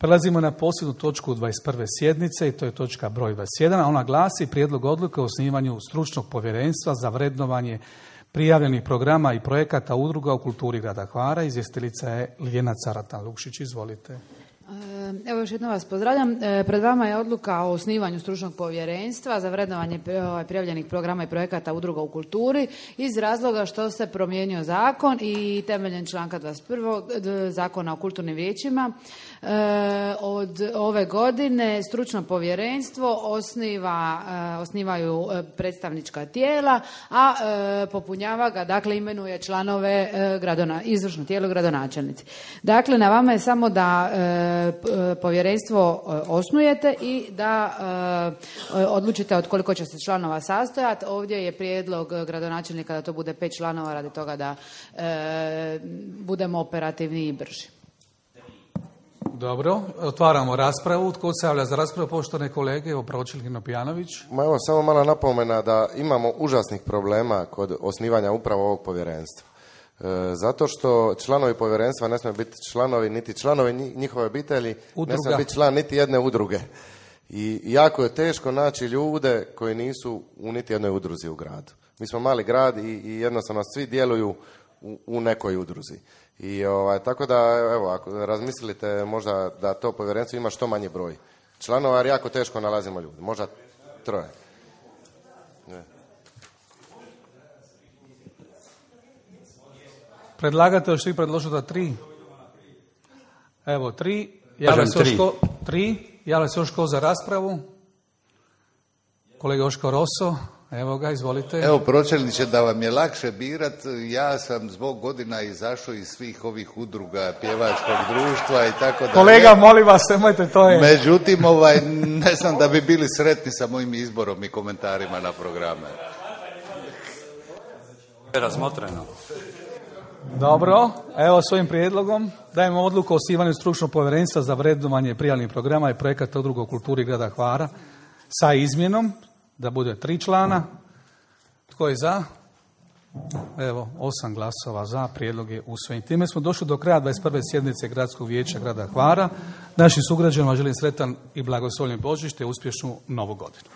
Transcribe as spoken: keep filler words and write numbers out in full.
Prelazimo na posljednju točku dvadeset prve sjednice i to je točka broj dvadeset jedan, a ona glasi Prijedlog odluke o osnivanju stručnog povjerenstva za vrednovanje prijavljenih programa i projekata udruga u kulturi grada Hvara. Izvjestiteljica je Ljiljana Caratan-Lukšić. Izvolite. Evo još jednom vas pozdravljam. Pred vama je odluka o osnivanju stručnog povjerenstva za vrednovanje prijavljenih programa i projekata udruga u kulturi iz razloga što se promijenio zakon i temeljem članka dvadeset prvog Zakona o kulturnim vijećima od ove godine stručno povjerenstvo osniva, osnivaju predstavnička tijela, a popunjava ga, dakle imenuje članove gradona, izvršno tijelo gradonačelnici. Dakle, na vama je samo da povjerenstvo osnujete i da odlučite od koliko će se članova sastojati. Ovdje je prijedlog gradonačelnika da to bude pet članova radi toga da budemo operativniji i brži. Dobro, otvaramo raspravu. Tko se javlja za raspravu? Poštovane kolege, evo Pročelkin Pijanović. Ma evo, samo mala napomena da imamo užasnih problema kod osnivanja upravo ovog povjerenstva. Zato što članovi povjerenstva ne smiju biti članovi, niti članovi njihove obitelji, udruga. Ne smije biti član niti jedne udruge. I jako je teško naći ljude koji nisu u niti jednoj udruzi u gradu. Mi smo mali grad i, i jednostavno svi djeluju u, u nekoj udruzi. I ovaj, tako da, evo, ako razmislite možda da to povjerenstvo ima što manji broj članova, jer jako teško nalazimo ljude. Možda troje. Ne. Predlagatelj što je predložio da tri. Evo, tri. Javlja se još ko, tri. Javlja se još ko za raspravu. Kolega Joško Roso. Evo ga, izvolite. Evo, pročelniče, da vam je lakše birat, ja sam zbog godina izašao iz svih ovih udruga pjevačkog društva i tako da. Kolega, molim vas, nemojte, to je. Međutim, ovaj, ne znam da bi bili sretni sa mojim izborom i komentarima na programe. Razmotreno. Dobro, evo s ovim prijedlogom dajemo odluku o osnivanju stručnog povjerenstva za vrednovanje prijavljenih programa i projekata udruga u kulturi grada Hvara sa izmjenom da bude tri člana. Tko je za? Evo, osam glasova za, prijedlog je usvojen. Time smo došli do kraja dvadeset prve sjednice Gradskog vijeća grada Hvara. Našim sugrađanima želim sretan i blagoslovljen Božić te uspješnu novu godinu.